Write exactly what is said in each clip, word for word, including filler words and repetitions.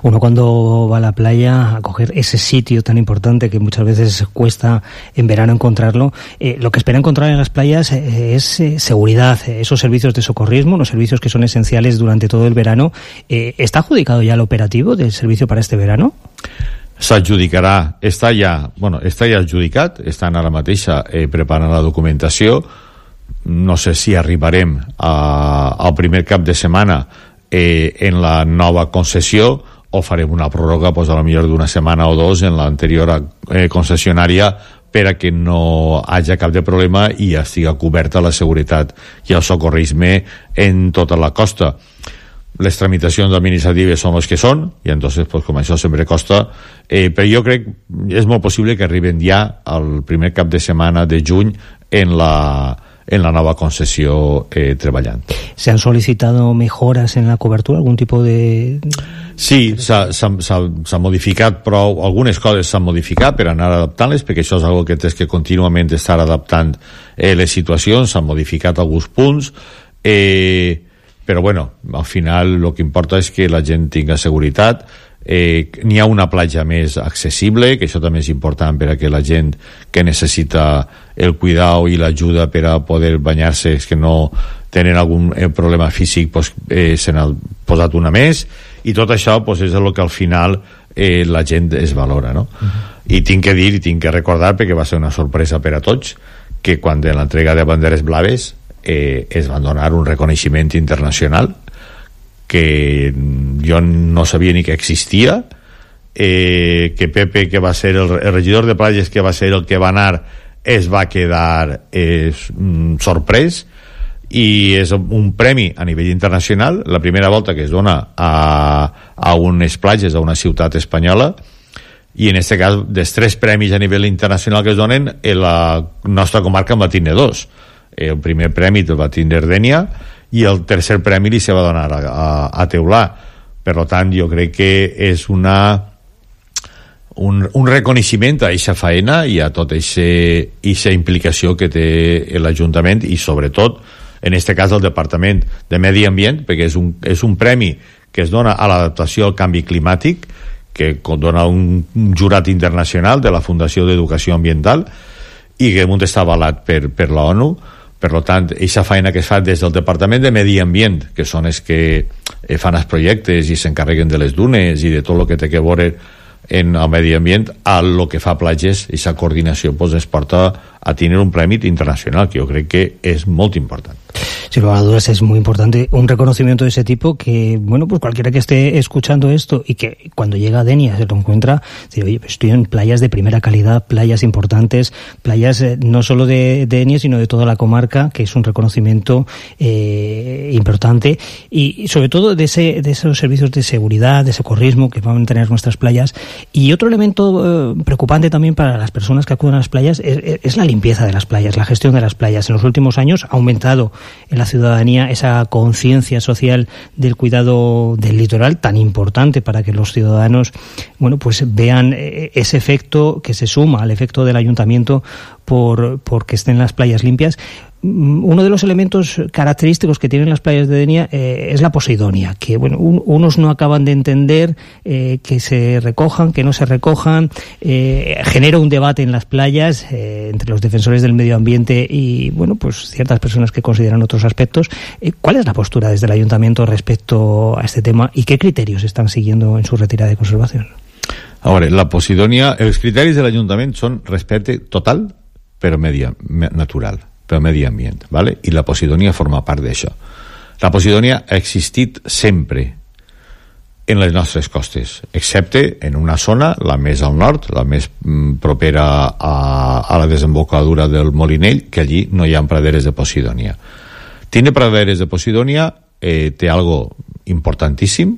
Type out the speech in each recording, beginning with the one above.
Uno cuando va a la playa a coger ese sitio tan importante que muchas veces cuesta en verano encontrarlo, eh, lo que espera encontrar en las playas eh, es eh, seguridad, eh, esos servicios de socorrismo, los servicios que son esenciales durante todo el verano. Eh, ¿Está adjudicado ya el operativo del servicio para este verano? S'adjudicarà, està ja, bueno, està ja adjudicat, estan ara mateixa eh, preparant la documentació. No sé si arribarem a, al primer cap de setmana eh, en la nova concessió o farem una pròrroga, pues, a lo millor d'una setmana o dos en l'anterior eh, concessionària, per a que no hagi cap de problema i estigui coberta la seguretat i el socorrisme en tota la costa. Les tramitacions administratives són les que són i entonces, pues, com això sempre costa, eh, però jo crec és molt possible que arriben ja al primer cap de setmana de juny en la, en la nova concessió eh, treballant. ¿Se han solicitado mejoras en la cobertura? ¿Algún tipo de...? Sí, s'ha modificat, però algunes coses s'han modificat per anar adaptant-les, perquè això és una que tens que contínuament estar adaptant eh, les situacions. S'han modificat alguns punts, eh, però bueno, al final el que importa és que la gent tinga seguretat. Eh, n'hi ha una platja més accessible, que això també és important per a que la gent que necessita el cuidado i l'ajuda per a poder banyar-se, és que no tenen algun eh, problema físic, pues, eh, se n'ha posat una més, i tot això, pues, és el que al final eh, la gent es valora, no? Uh-huh. I tinc que dir, i tinc que recordar, perquè va ser una sorpresa per a tots, que quan en l'entrega de banderes blaves eh, es van donar un reconeixement internacional que jo no sabia ni que existia, eh, que Pepe, que va ser el, el regidor de platges, que va ser el que va anar, es va quedar eh, sorprès, i és un premi a nivell internacional, la primera volta que es dona a, a unes platges, a una ciutat espanyola, i en aquest cas, dels tres premis a nivell internacional que es donen, la nostra comarca en va tindre dos. El primer premi el va tindre Dénia, i el tercer premi li se va donar a, a, a Teulà. Per tant, jo crec que és una un, un reconeixement a aquesta faena i a tota aquesta implicació que té l'Ajuntament, i sobretot en aquest cas el Departament de Medi Ambient, perquè és un, és un premi que es dona a l'adaptació al canvi climàtic, que dona un, un jurat internacional de la Fundació d'Educació Ambiental i que amunt està avalat per, per la ONU. Per tant, aquesta feina que es fa des del Departament de Medi Ambient, que són els que fan els projectes i s'encarreguen de les dunes i de tot el que té que veure en el medi ambient, a lo que fa platges, aquesta coordinació pues, es porta a tenir un premi internacional, que jo crec que és molt important. Sin lugar a dudas es muy importante un reconocimiento de ese tipo, que, bueno, pues cualquiera que esté escuchando esto y que cuando llega a Denia se lo encuentra, dice, oye, pues estoy en playas de primera calidad, playas importantes, playas eh, no solo de Denia, sino de toda la comarca, que es un reconocimiento eh, importante, y, y sobre todo de, ese, de esos servicios de seguridad, de socorrismo que van a tener nuestras playas. Y otro elemento eh, preocupante también para las personas que acuden a las playas es, es la limpieza de las playas, la gestión de las playas. En los últimos años ha aumentado en la ciudadanía esa conciencia social del cuidado del litoral, tan importante para que los ciudadanos, bueno, pues vean ese efecto que se suma al efecto del ayuntamiento por, por que estén las playas limpias. Uno de los elementos característicos que tienen las playas de Denia eh, es la posidonia, que bueno, un, unos no acaban de entender eh, que se recojan, que no se recojan, eh, genera un debate en las playas eh, entre los defensores del medio ambiente y bueno, pues ciertas personas que consideran otros aspectos. Eh, ¿Cuál es la postura desde el ayuntamiento respecto a este tema y qué criterios están siguiendo en su retirada de conservación? Ahora, la posidonia, els criteris de l'Ajuntament són respecte total però medi natural, pel medi ambient, ¿vale? I la posidonia forma part d'això. La posidonia ha existit sempre en les nostres costes, excepte en una zona, la més al nord, la més mm, propera a, a la desembocadura del Molinell, que allí no hi ha praderes de posidonia. Tindre praderes de posidonia eh, té algo importantíssim,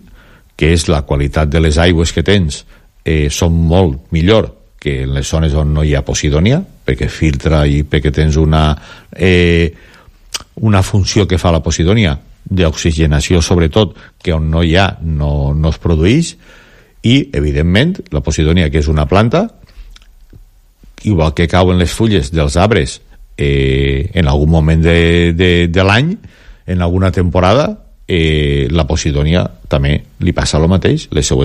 que és la qualitat de les aigües que tens, eh, són molt millor que en les zones on no hi ha posidonia, perquè filtra i perquè tens una, eh, una funció que fa la posidonia d'oxigenació, sobretot, que on no hi ha no, no es produeix, i, evidentment, la posidonia, que és una planta, igual que cauen les fulles dels arbres eh, en algun moment de, de, de l'any, en alguna temporada, eh, la posidonia també li passa el mateix, les seues